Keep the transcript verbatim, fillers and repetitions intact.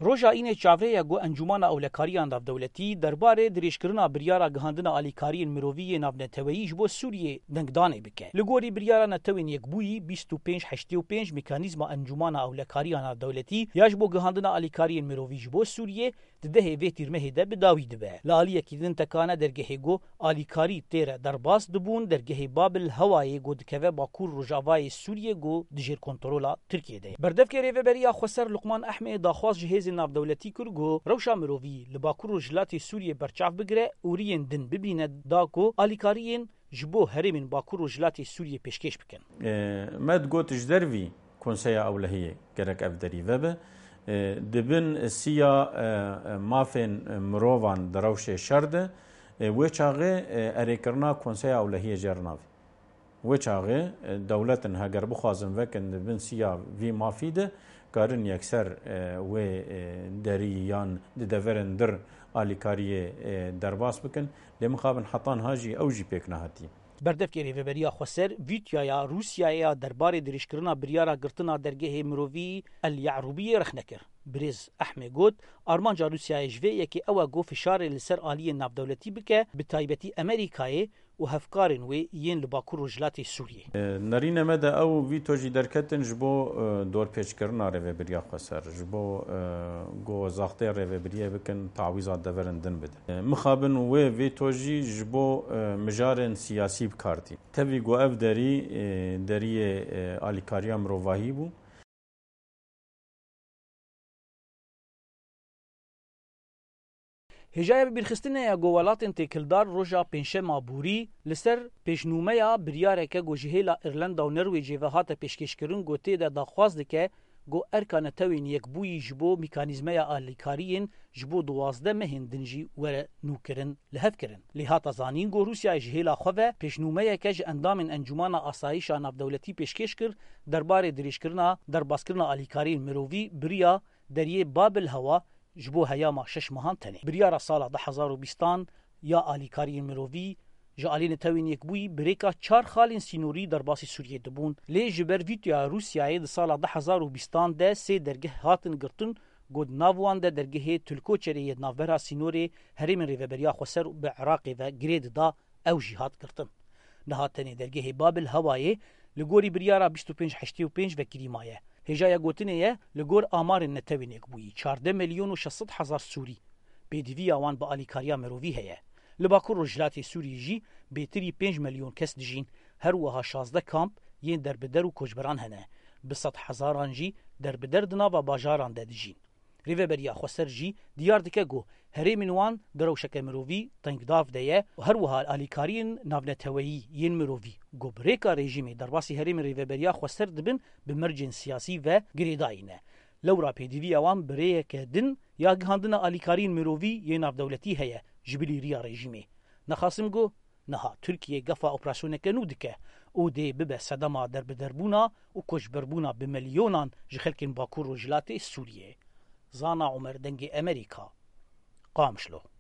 Roja Înê çavrê ye ku Encûmana Ewlekariya Navdewletî derbarê dirêjkirina biryara gihandina alîkariyên mirovî yê navneteweyî ji bo Sûriyê dengdanê bike. Li gorî biryara Netewên Yekbûyî bîst û pênc heştê û pênc, mekanîzma Encûmana Ewlekariya Navdewletî ya ji bo gihandina alîkariyên mirovî ji bo Sûriyê di dehê vê tîrmehê de bi dawî dibe. Li aliyekî din tekane dergehê ku alîkarî tê re derbas dibûn, dergehê Babil Hewayê ku dikeve bakur rojavayê Sûriyê ku di jêr kontrola Tirkiyê de ye. Berdevkê Rêveberiya Xweser Luqman Ehmê daxwaz ji hêzên navdewletî kir ku rewşa mirovî li bakur rojhilatê Sûriyê berçav bigire û riyên din bibîne da ku alîkariyên ji bo herêmên bakur rojhilatê Sûriyê pêşkêş bikin. E, me digot ji dervî Konseya Ewlehiyê gerek ev derî vebe. E, di bin siya, e, e, mafên mirovan di rewşê şer de, e, wê çaxê, e, erêkirina Konseya Ewlehiyê jê re navê. Wê çaxê, e, dewletin heger bixwazin vekin di bin siya vî mafî de, karin yekser, e, wê, e, derî yan di deverên dir alîkariyê, e, derbas bikin. Lê mixabin hetan ha jî ew jî pêk nehatî. Berdevkê Rêveberiya Xweser vîtoyaya Rûsyayê ya derbarê dirêjkirina biryara girtina dergehê mirovî El Ye'rûbiyê rexne kir. Birêz Ehmê got, armanca Rûsyayê ji vê yekê ew e ku fişarê li ser aliyên navdewletî bike, bi taybetî Amerîkayê û hevkarên wê yên li Bakur Rojhilatê Sûriyê. E, nerîne me de ew vîto jî derketin ji bo, e, dorpêçkirina Rêveberiya Xweser, ji bo, e, ku zaxtê rêvebiriyê bikin, tawîza deverin din bidin. E, mixabin wê vîto jî ji bo, e, mijarên siyasî bi kar tî. Tevî ku ev derî, e, deriyê, e, alîkariya mirovahî bû. Hêjaya bibîrxistinê ye ku welatên têkildar roja Pêncşema borî li ser pêşnûmeya biryareke ku ji hêla Îrlanda û Nerwêcê ve hate pêşkêşkirin ku tê de daxwaz dike ku erka Netewên Yekbûyî ji bo mîkanîzmeya alîkariyên ji bo duwazdeh mehên din jî were nûkirin, li hev kirin. Lê hate zanîn ku Rûsyayê ji hêla xwe ve pêşnûmeyeke ji endamên Encûmana Asayîşa Navdewletî pêşkêş kir, derbarê dirêjkirina derbaskirina alîkariyên mirovî bi riya deriyê Babil Hewa ji bo heyama şeş mehan tenê. Biryara sala du hezar û bîstan ya alîkariyên mirovî ji alî Netewên Yekbûyî bi rêka çar xalên sînorî derbasî Sûriyê dibûn. Lê ji ber vîtoya Rûsyayê di sala du hezar û bîstan de sê dergeh hatin girtin ku di nav wan de dergehê Tulkoçerê yê di navbera sînorê herêmên Rêveberiya Xweser bi Iraqê ve girê dida, ew jî hat girtin. Niha tenê dergehê Babil Hewayê li gorî biryara bîst û pênc heştê û pênc vekirî maye. Hêjaya gotinê ye, li gor amarên Netewên Yekbûyî çardeh milyon û şeş sed hezar Sûrî pêdiviya wan bi alîkariya mirovî heye. Li Bakur Rojhilatê Sûriyê jî bêtirî pênc milyon kes dijîn, her wiha şazdeh kamp yên derbider û koçberan hene. Bi sed hezaran jî derbider di nava bajaran de dijîn. Rêveberiya Xweser jî diyar dike ku herêmên wan di rewşeke mirovî tengdav de ye û her wiha alîkariyên navneteweyî yên mirovî ku bi rêka rejîmê derbasî herêmên Rêveberiya Xweser dibin, bi mercên siyasî ve girêdayî ne. Lewra pêdiviya wan bi rêyeke din ya gihandina alîkariyên mirovî yê navdewletî heye ji bilî riya rejîmê. Nexasim ku niha Tirkiye gefa operasyoneke nû dike û dê bibe sedema derbiderbûna û koçberbûna bi milyonan ji xelkên Bakur Rojhilatê Sûriyê. Zana Omer, Dengê Emerîka, Qamişlo.